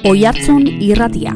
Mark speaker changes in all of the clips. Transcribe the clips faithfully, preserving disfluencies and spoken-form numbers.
Speaker 1: Oihartzun irratia.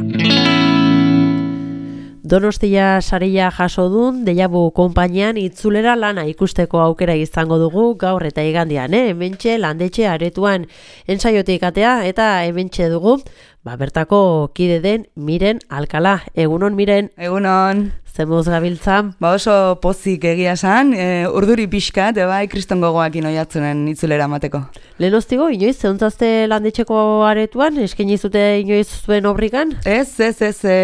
Speaker 2: Donostia saria jaso dun Deiabu konpainian itzulera lana ikusteko aukera izango dugu gaur eta igandean, eh? Hementxe landetxe aretuan ensaiotik atea eta hementxe dugu, ba bertako kide den Miren Alkala. Egunon Miren.
Speaker 3: Egunon.
Speaker 2: Zemuz gabiltzan?
Speaker 3: Ba oso pozik egia san, e, urduri pixkat, e, bai, kriston gogoakin oihartzunen itzulera mateko.
Speaker 2: Lehenoztigo, inoiz, zeuntazte landetxeko aretuan, eskaini zute inoiz zuen obrikan?
Speaker 3: Ez, ez, ez, e,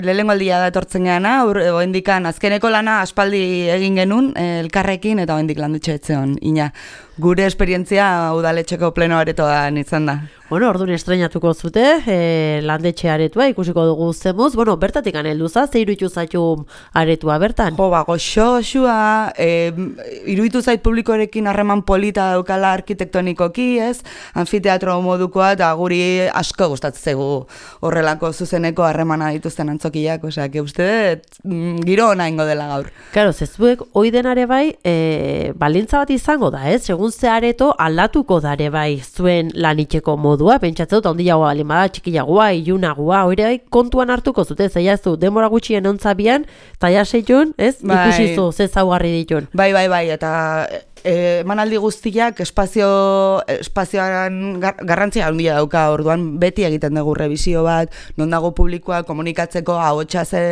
Speaker 3: lehenengo aldia da etortzen gana, oendikan azkeneko lana aspaldi egin genuen, e, elkarrekin, eta oendik landetxe etzeon, ina. Gure esperientzia udaletxeko pleno aretoan izan da.
Speaker 2: Bueno, orduan estrenatuko zute, e, landetxe aretua, ikusiko dugu zemuz. Bueno, bertatik aneldu za, ze iruditu zaitu aretua bertan?
Speaker 3: Jo, ba, goxo, xua, e, iruditu zait publikorekin harreman polita daukala arkitektonikoki, ez? Anfiteatro modukoa, eta guri asko gustatzen zaigu horrelako zuzeneko harremana dituzten antzokiak, osea, que uste, mm, giro ona ingo dela gaur.
Speaker 2: Claro, zezuek, hoi denare bai, e, balintza bat izango da, ez? Segun ze areto aldatuko dare bai zuen lanitxeko modua, pentsatzen dut, ondiagoa balimada, txikiagoa, ilunagoa, hori bai kontuan hartuko zute, zeiazu, demora gutxien ontzabian, taia seitun, ez?
Speaker 3: Bai.
Speaker 2: Ikusizu, ze zaugarri ditun.
Speaker 3: Bai, bai, bai, eta e, emanaldi guztiak espazio, espazioan gar, garrantzia handia dauka, orduan beti egiten dugu revisio bat, non dago publikoa komunikatzeko, ahotsa ze,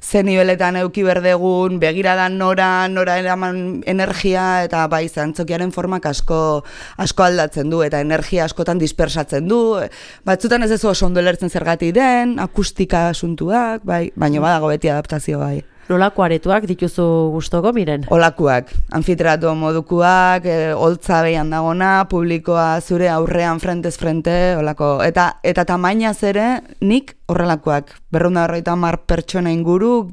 Speaker 3: ze niveletan euki berdegun, begiradan nora, nora eraman energia, eta bai, zantzokiaren formak asko, asko aldatzen du, eta energia askotan dispersatzen du, batzutan ez ez oso ondo lertzen zergatik den, akustika asuntuak, bai, baina badago beti adaptazio bai.
Speaker 2: Nolako aretuak dituzu gustoko, Miren?
Speaker 3: Olakuak, anfiteatro modukuak, e, holtza behian dagona, publikoa zure aurrean frentez frente, olako, eta eta tamainaz ere nik horrelakoak, berrunda berroita hamar pertsona inguru,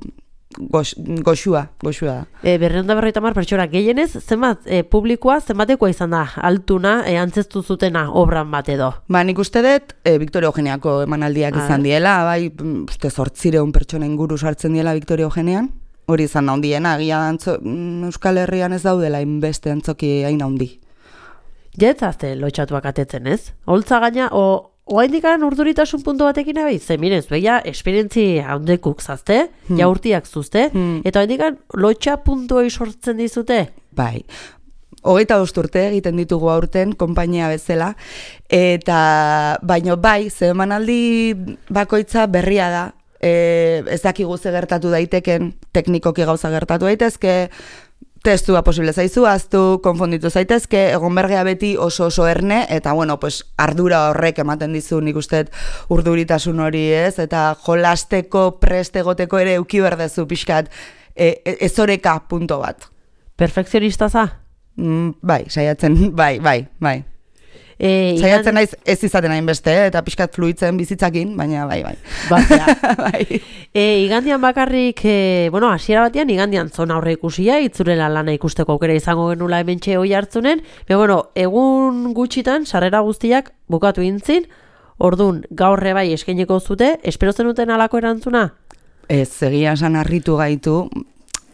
Speaker 3: gox, goxua, goxua da.
Speaker 2: E, berreunda berroita hamar pertsona gehienez, zenbat e, publikoa, zenbatekoa izan da, altuna, e, antzestu zutena obran bat edo?
Speaker 3: Ba, nik uste dut, e, Victoria Eugeniako emanaldiak ah. izan diela, bai, uste zortzireun pertsona inguru sartzen diela Victoria Eugenian, hori izan da hundiena, agia antzo, Euskal Herrian ez daudela inbeste antzoki hain handi.
Speaker 2: Jetzazte lotxatuak atetzen ez? Holtza gaina, o... Oaindikan urduritasun puntu batekin abiz, ze miren, zueia esperientzi handekuk zazte, hmm. jaurtiak zuzte, hmm. eta oaindikan lotxa puntuoi sortzen dizute?
Speaker 3: Bai, hogeita bost urte egiten ditugu aurten, konpainia bezala, eta baino bai, ze emanaldi bakoitza berria da, e, ez dakigu ze gertatu daiteken, teknikoki gauza gertatu daitezke, testua posible zaizu, aztu, konfonditu zaitezke, egon bergea beti oso oso erne, eta bueno, pues, ardura horrek ematen dizu nik uste urduritasun hori ez, eta jolasteko, prest egoteko ere euki berdezu pixkat e, e, ezoreka punto bat.
Speaker 2: Perfekzionista za?
Speaker 3: Mm, bai, saiatzen, bai, bai, bai.
Speaker 2: E,
Speaker 3: Saiatzen naiz ez izaten hainbeste, eta pixkat fluitzen bizitzakin, baina bai, bai.
Speaker 2: bai. E, igandian bakarrik, e, bueno, hasiera batean igandian zona horre ikusia, itzurela lana ikusteko aukera izango genula hementxe oihartzunen, baina, bueno, egun gutxitan, sarrera guztiak bukatu intzin, ordun gaurre bai eskaineko zute, espero zenuten halako erantzuna?
Speaker 3: Ez, egia esan harritu gaitu.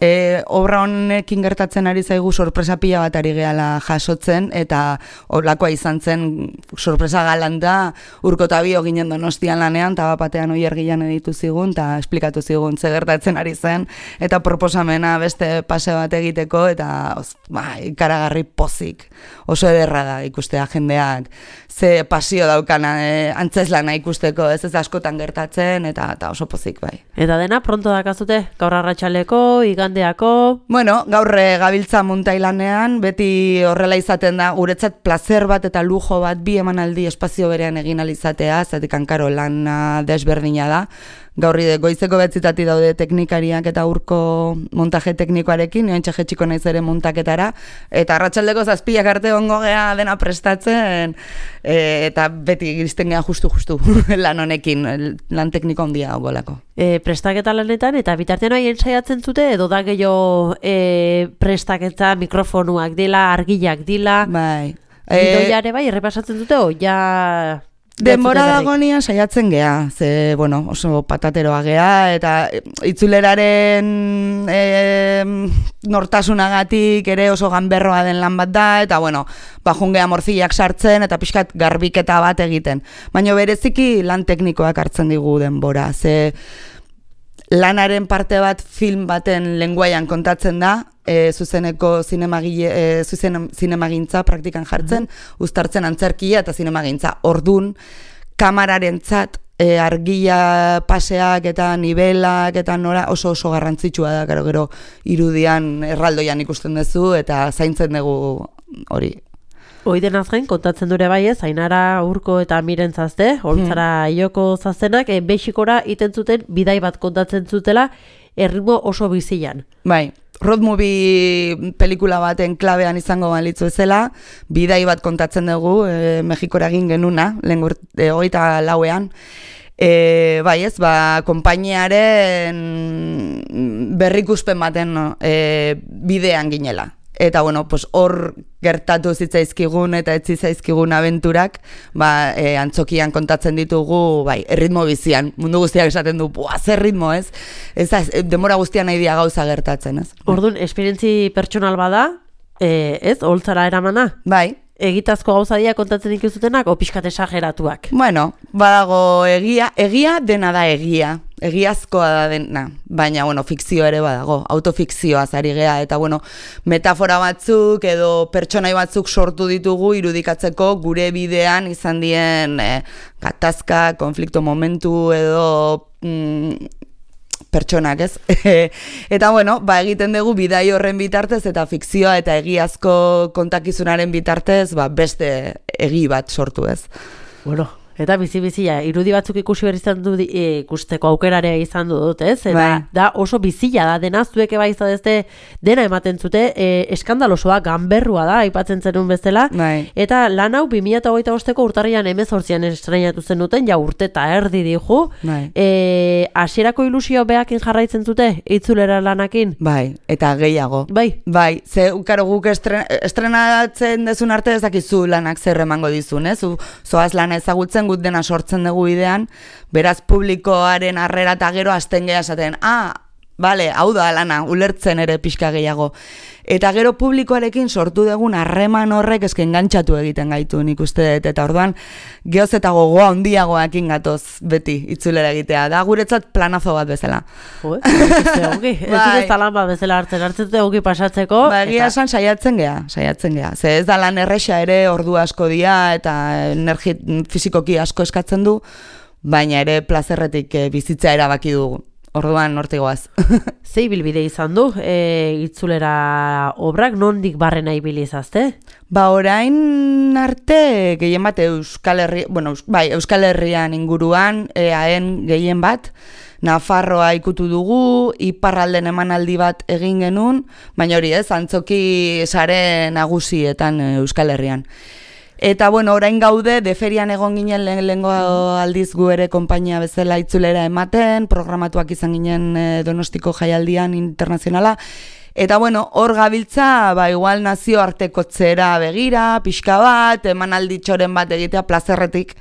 Speaker 3: E, obra honekin gertatzen ari zaigu sorpresa pila bat ari gehala jasotzen, eta olakoa izan zen sorpresa galanta Urko ta Bio ginen Donostian lanean, eta batean Oier Gilan editu zigun, eta esplikatu zigun ze gertatzen ari zen, eta proposamena beste pase bat egiteko, eta oz, ba, ikaragarri pozik, oso ederra da ikustea jendeak, ze pasio daukana e, antzeslana ikusteko, ez ez askotan gertatzen, eta, eta oso pozik bai.
Speaker 2: Eta dena pronto dakazute, gaur arratsaleko, igandeako?
Speaker 3: Bueno, gaur gabiltza Muntailanean, beti horrela izaten da, guretzat placer bat eta lujo bat bi emanaldi espazio berean egin alizatea, zatik hankaro lana desberdina da. Gaurri goizeko betzitati daude teknikariak eta Urko montaje teknikoarekin, nioen txetxiko naiz ere montaketara, eta arratsaldeko zazpiak arte ongo gea dena prestatzen, e, eta beti iristen gea justu-justu lan honekin, lan tekniko handia dagoelako.
Speaker 2: E, prestaketa lanetan, eta bitartean haien saiatzen zute, edo da gehiago e, prestaketa mikrofonuak dila, argilak dila,
Speaker 3: bai.
Speaker 2: Gidoiare bai, errepasatzen dute, o ja...
Speaker 3: Denbora dagonia saiatzen gea, ze, bueno, oso patateroa gea, eta itzuleraren e, nortasunagatik ere oso ganberroa den lan bat da, eta, bueno, bajun gea morzillak sartzen, eta pixkat garbiketa bat egiten. Baina bereziki lan teknikoak hartzen digu denbora, ze lanaren parte bat film baten lenguaian kontatzen da, e, zuzeneko zinemagile, e, zuzen, zinemagintza praktikan jartzen, mm-hmm. uztartzen antzerkia eta zinemagintza. Ordun kamararentzat e, argia paseak eta nibelak eta nora oso oso garrantzitsua da, gero gero irudian erraldoian ikusten duzu eta zaintzen dugu hori.
Speaker 2: Oiden azken, kontatzen dure bai ez, Ainara Urko eta Miren Zazte, holtzara hmm. ioko zaztenak, e, Mexikora iten zuten bidai bat kontatzen zutela, erritmo oso bizilan.
Speaker 3: Bai, road movie pelikula baten klabean izango balitzu ezela, bidai bat kontatzen dugu, e, Mexikora egin genuna, lehen e, hogeita lauean, E, bai ez, ba, konpainiaren berrikuspen baten no, e, bidean ginela. Eta, bueno, pues hor gertatu zitzaizkigun eta etzi zaizkigun abenturak, ba, e, antzokian kontatzen ditugu, bai, erritmo bizian. Mundu guztiak esaten du, buah, zer ritmo, ez? Ez da, demora guztian nahi dia gauza gertatzen, ez?
Speaker 2: Orduan, esperientzi pertsonal bada, e, ez, holtzara eramana?
Speaker 3: Bai.
Speaker 2: Egitazko gauzadia kontatzen ikuzutenak, o pixkat esageratuak?
Speaker 3: Bueno, badago egia, egia dena da egia, egiazkoa da dena, baina, bueno, fikzio ere badago, autofikzioa zari gea, eta, bueno, metafora batzuk edo pertsonai batzuk sortu ditugu irudikatzeko gure bidean izan dien eh, gatazka, konflikto momentu edo... Mm, pertsonak, ez? Eta, bueno, ba, egiten dugu bidai horren bitartez eta fikzioa eta egiazko kontakizunaren bitartez, ba, beste egi bat sortu, ez?
Speaker 2: Bueno, eta bizi-bizia, irudi batzuk ikusi behar izan du, e, ikusteko aukerarea izan du dut, ez? Eta
Speaker 3: bai.
Speaker 2: Da oso bizila da, dena zueke bai izadezte dena ematen zute, e, eskandalosoa, ganberrua da, aipatzen zenun bezala,
Speaker 3: bai.
Speaker 2: Eta lan hau bi mila hogeita bosteko urtarrian hemezortzian estrenatu zen duten, ja urte eta erdi dihu,
Speaker 3: bai.
Speaker 2: e, hasierako ilusio behakin jarraitzen zute, itzulera lanakin?
Speaker 3: Bai, eta gehiago.
Speaker 2: Bai.
Speaker 3: Bai, ze, karo, guk estren, estrenatzen dezun arte ez dakizu lanak zer emango dizun, ez? Zoaz lana ezagutzen gut dena sortzen dugu idean, beraz publikoaren harrera eta gero azten geha esaten, ah, bale, hau da lana, ulertzen ere pixka gehiago. Eta gero publikoarekin sortu dugun harreman horrek eske engantzatu egiten gaitu nik uste dut, eta orduan geoz eta gogoa handiagoekin gatoz beti itzulera egitea, da guretzat planazo bat bezala.
Speaker 2: Jo, ez ongi, ez dut ez talan bat bezala hartzen, hartzen dut ongi pasatzeko.
Speaker 3: Ba, egia esan saiatzen geha, saiatzen geha. Ze ez da lan erresa ere ordu asko dia eta energi fizikoki asko eskatzen du, baina ere plazerretik e, bizitza erabaki dugu. Orduan nortigoaz.
Speaker 2: Zei bilbide izan du, e, itzulera obrak, nondik barrena ibilizazte?
Speaker 3: Ba, orain arte gehien bat Euskal Herri, bueno, bai, Euskal Herrian inguruan, eaen gehien bat, Nafarroa ikutu dugu, iparralden emanaldi bat egin genuen, baina hori ez, antzoki sare nagusietan Euskal Herrian. Eta, bueno, orain gaude, deferian egon ginen lehengo aldiz gu ere konpainia bezala itzulera ematen, programatuak izan ginen Donostiko jaialdian internazionala, eta, bueno, hor gabiltza, ba, igual nazioartekotzera begira, pixka bat, emanalditxoren bat egitea plazerretik,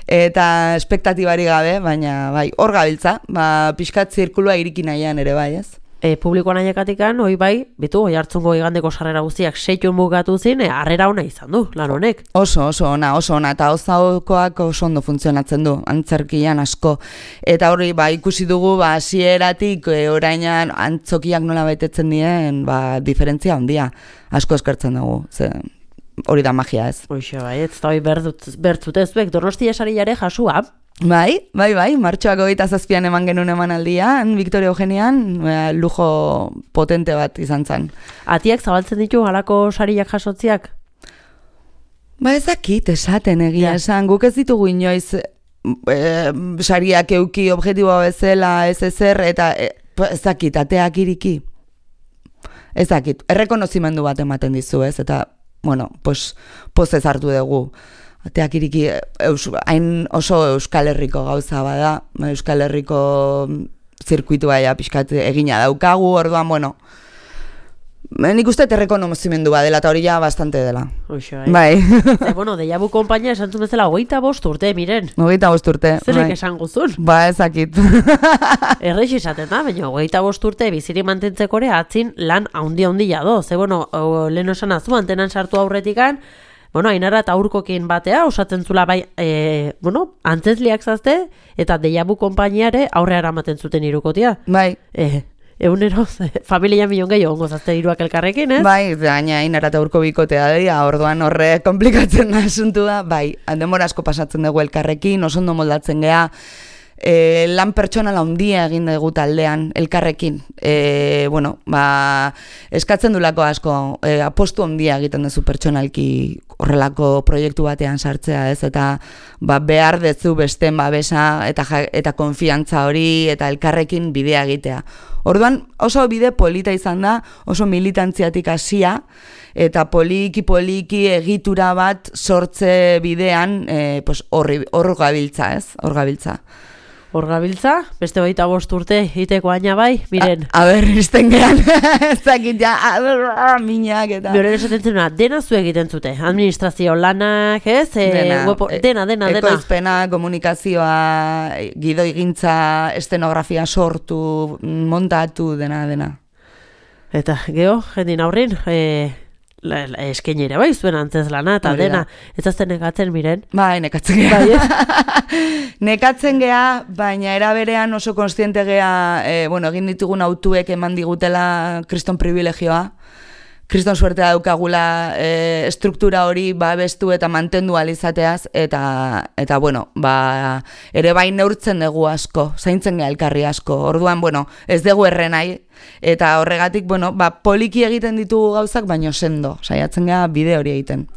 Speaker 3: eta espektatibari gabe, baina, bai, hor gabiltza, ba, pixkat zirkulua iriki nahian ere, bai, ez?
Speaker 2: E, publikoan aiekatikan, hoi bai, bitu, oi hartzungo igandeko sarrera guztiak seitun bukatu zin, e, harrera ona izan du, lan honek.
Speaker 3: Oso, oso ona, oso ona, eta ozaokoak oso ondo funtzionatzen du, antzerkian asko. Eta hori, ba, ikusi dugu, ba, hasieratik e, orainan antzokiak nola betetzen dien, ba, diferentzia handia, asko eskertzen dugu, ze... Hori da magia, ez?
Speaker 2: Hoxe, bai, ez da hori bertzute zuek, Donostia sariare jasua.
Speaker 3: Bai, bai, bai, martxoak hogeita zazpian eman genuen emanaldian, Victoria Eugenian, lujo potente bat izan zen.
Speaker 2: Atiak zabaltzen ditu halako sariak jasotziak?
Speaker 3: Ba ezakit, esaten egia
Speaker 2: ja.
Speaker 3: Esan, guk ez ditugu inoiz e, sariak euki objektiboa bezala ez ezer, eta e, ezakit, ateak iriki. Ezakit, errekonozimendu bat ematen dizu ez, eta, bueno, pues, pozez hartu dugu. Ateak iriki eus, hain oso Euskal Herriko gauza bada, Euskal Herriko zirkuitua ja pixkat egina daukagu, orduan, bueno, Nik uste errekonozimendu bat dela, eta hori ja bastante dela.
Speaker 2: Uixo,
Speaker 3: bai.
Speaker 2: Ze, bueno, Deja Vu konpainia esan zumezela, hogeita bost urte, miren.
Speaker 3: Hogeita bost urte.
Speaker 2: Zerek esan guzun?
Speaker 3: Ba, ezakit.
Speaker 2: Erreix izaten da, baina hogeita bost urte biziri mantentzeko ere atzin lan haundi-haundia do. Ze, bueno, lehen esan azu, antenan sartu aurretikan, bueno, Ainara eta Urkokin batea, osatzen zula bai, e, bueno, antzezliak zazte, eta Deja Vu konpainiare aurre aramaten zuten irukotia.
Speaker 3: Bai.
Speaker 2: E, egunero, familia milion gehiago ongo zazte iruak elkarrekin, ez?
Speaker 3: Bai, gaina Ainara eta Urko bikotea dira, orduan horre komplikatzen da asuntua, bai, denbora asko pasatzen dugu elkarrekin, oso ondo moldatzen gea, E, lan pertsonala handia egin dugu taldean elkarrekin. E, bueno, ba, eskatzen dulako asko, e, apostu handia egiten duzu pertsonalki horrelako proiektu batean sartzea, ez? Eta ba, behar dezu besten babesa eta, eta konfiantza hori eta elkarrekin bidea egitea. Orduan oso bide polita izan da, oso militantziatik hasia, eta poliki-poliki egitura bat sortze bidean e, pues, hor gabiltza, ez? Hor gabiltza.
Speaker 2: Hor gabiltza, beste baita bost urte iteko aina bai, miren.
Speaker 3: A, a ber, izten gehan, ez dakit ja, minak eta...
Speaker 2: Bioren esaten zenuna, dena zu egiten zute, administrazio lanak, ez? E,
Speaker 3: dena,
Speaker 2: wepo, dena, dena, dena.
Speaker 3: Ekoizpena, komunikazioa, gidoigintza, estenografia sortu, montatu, dena, dena.
Speaker 2: Eta, geho, jendin aurrin, e, eskenera bai, zuen antzez lana, eta dena, ez azten nekatzen, miren?
Speaker 3: Bai, nekatzen geha. Bai, nekatzen geha, baina eraberean oso konstiente geha, e, bueno, egin ditugun autuek eman digutela kriston privilegioa, kriston suertea daukagula e, struktura hori babestu eta mantendu alizateaz, eta, eta bueno, ba, ere bai neurtzen dugu asko, zaintzen geha elkarri asko, orduan, bueno, ez dugu errenai, eta horregatik, bueno, ba, poliki egiten ditugu gauzak, baino sendo, saiatzen geha bide hori egiten.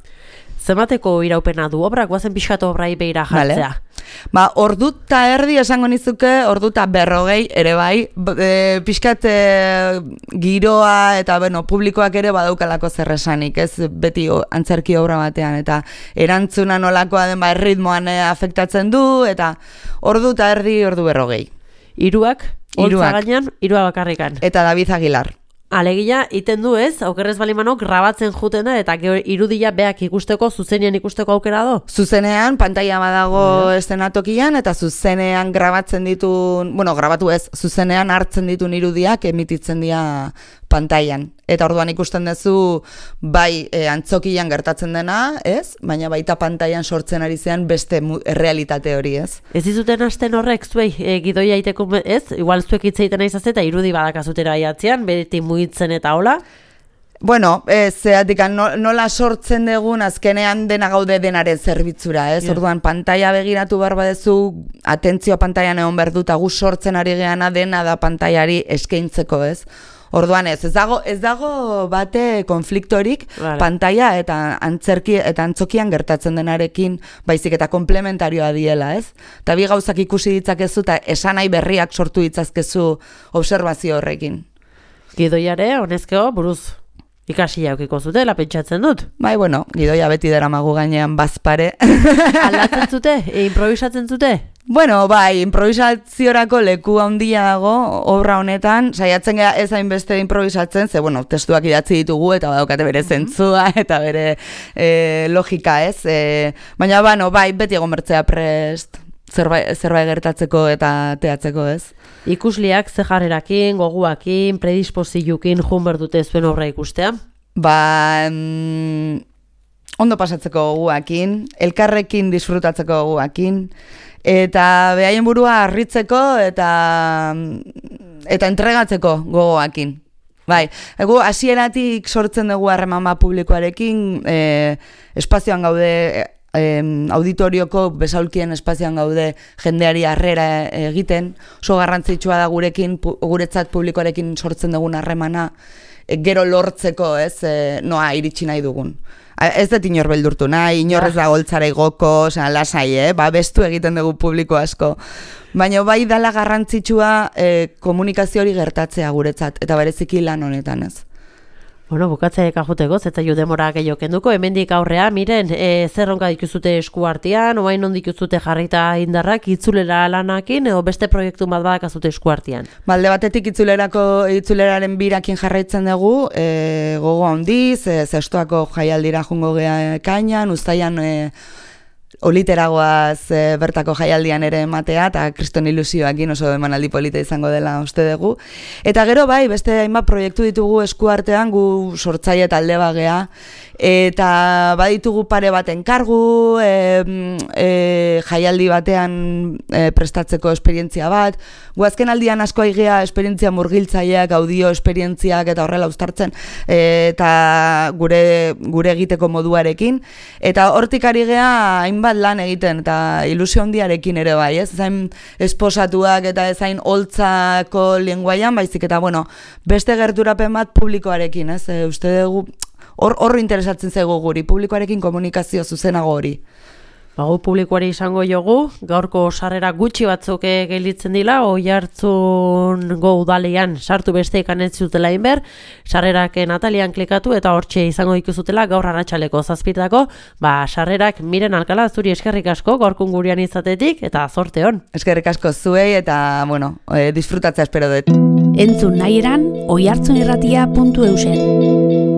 Speaker 2: Zemateko iraupena du obrak, guazen pixkatu obrai behira jartzea?
Speaker 3: Vale. Ba, orduta erdi esango nizuke, orduta berrogei ere bai, e, pixkat e, giroa eta bueno, publikoak ere badaukalako zer esanik, ez beti o, antzerki obra batean, eta erantzuna nolakoa den ba, erritmoan e, afektatzen du, eta orduta erdi, ordu berrogei.
Speaker 2: Iruak, holtza gainean, irua bakarrikan.
Speaker 3: Eta David Aguilar.
Speaker 2: Alegia, iten du ez, aukerrez balimanok grabatzen juten da, eta irudia beak ikusteko, zuzenean ikusteko aukera do?
Speaker 3: Zuzenean, pantalla badago yeah. Estenatokian, eta zuzenean grabatzen ditu, bueno, grabatu ez, zuzenean hartzen ditun irudiak emititzen dira pantailan. Eta orduan ikusten duzu, bai e, antzokian gertatzen dena, ez? Baina baita pantailan sortzen ari zean beste errealitate hori, ez? Ez
Speaker 2: dizuten hasten horrek, zuei, e, gidoia iteko, ez? Igual zuek itzeiten aiz eta irudi badakazutera aiatzean, beti mugitzen eta hola?
Speaker 3: Bueno, ez, zeatik, nola sortzen dugun, azkenean dena gaude denaren zerbitzura, ez? Yeah. Orduan, pantaila begiratu behar badezu, atentzioa pantailan egon behar dut, gu sortzen ari geana dena da pantailari eskaintzeko, ez? Orduan ez, ez dago, ez dago bate konfliktorik vale. Pantaila eta antzerki eta antzokian gertatzen denarekin, baizik eta komplementarioa diela, ez? Eta bi gauzak ikusi ditzakezu eta esanai berriak sortu ditzazkezu obserbazio horrekin.
Speaker 2: Gidoiare, honezkeo, buruz ikasi jaukiko zutela, pentsatzen dut.
Speaker 3: Bai, bueno, gidoia beti daramagu gainean bazpare.
Speaker 2: Aldatzen zute? E, improvisatzen zute?
Speaker 3: Bueno, bai, improvisaziorako leku handia dago obra honetan, saiatzen gara ez hainbeste improvisatzen, ze, bueno, testuak idatzi ditugu eta badaukate bere zentzua eta bere e, logika, ez? E, baina, bueno, bai, beti egon bertzea prest, zerbait, zerbait gertatzeko eta teatzeko, ez?
Speaker 2: Ikusliak ze jarrerakin, goguakin, predispozioekin jun berdute zuen obra ikustea?
Speaker 3: Ba, mm, ondo pasatzeko goguakin, elkarrekin disfrutatzeko goguakin, eta behaien burua harritzeko eta eta entregatzeko gogoakin. Bai, egu hasieratik sortzen dugu harremana publikoarekin, e, espazioan gaude, e, auditorioko besaulkien espazioan gaude jendeari harrera egiten, oso garrantzitsua da gurekin, pu, guretzat publikoarekin sortzen dugun harremana, e, gero lortzeko, ez, e, noa iritsi nahi dugun. Ez dut inor beldurtu nahi, inorrez da goltzara igoko, oza, lasai, eh? Ba, bestu egiten dugu publiko asko. Baina bai dala garrantzitsua eh, komunikazio hori gertatzea guretzat, eta bereziki lan honetan, ez?
Speaker 2: Bueno, bukatzeak ajuteko, zetzaio demora gehiago kenduko, hemendik aurrea, miren, e, zerronka dituzute esku artean, oain non dituzute jarrita indarrak, itzulera lanakin, edo beste proiektu bat badakazute esku artean?
Speaker 3: Balde batetik itzulerako, itzuleraren birakin jarraitzen dugu, e, gogo handiz, e, zestoako jaialdira jungo gea ekainan, uztaian e, oliteragoaz e, bertako jaialdian ere ematea, eta kriston ilusioakin oso emanaldi polita izango dela uste dugu. Eta gero bai, beste hainbat proiektu ditugu esku artean, gu sortzaile talde bagea, eta baditugu pare bat enkargu, e, e, jaialdi batean e, prestatzeko esperientzia bat, gu azken aldian asko aigea esperientzia murgiltzaileak, audio esperientziak eta horrela uztartzen, e, eta gure, gure egiteko moduarekin, eta hortik ari gea hainbat lan egiten, eta ilusio handiarekin ere bai, ez? Ezain esposatuak eta ezain holtzako lenguaian, baizik eta, bueno, beste gerturapen bat publikoarekin, ez? E, uste dugu, hor, hor interesatzen zaigu guri, publikoarekin komunikazio zuzenago hori.
Speaker 2: Bago publikoari izango jogu, gaurko sarrera gutxi batzuk gelditzen dila, Oiartzungo udalean sartu beste ikan ez zutela inber, sarrerak Natalian klikatu eta hortxe izango ikuzutela gaur arratsaleko zazpitako, ba sarrerak Miren Alkala zuri eskerrik asko gaurkun gurean izatetik eta zorte hon.
Speaker 3: Eskerrik asko zuei eta, bueno, e, disfrutatzea espero dut.
Speaker 1: Entzun nahi eran, oiartzunirratia puntu eusen.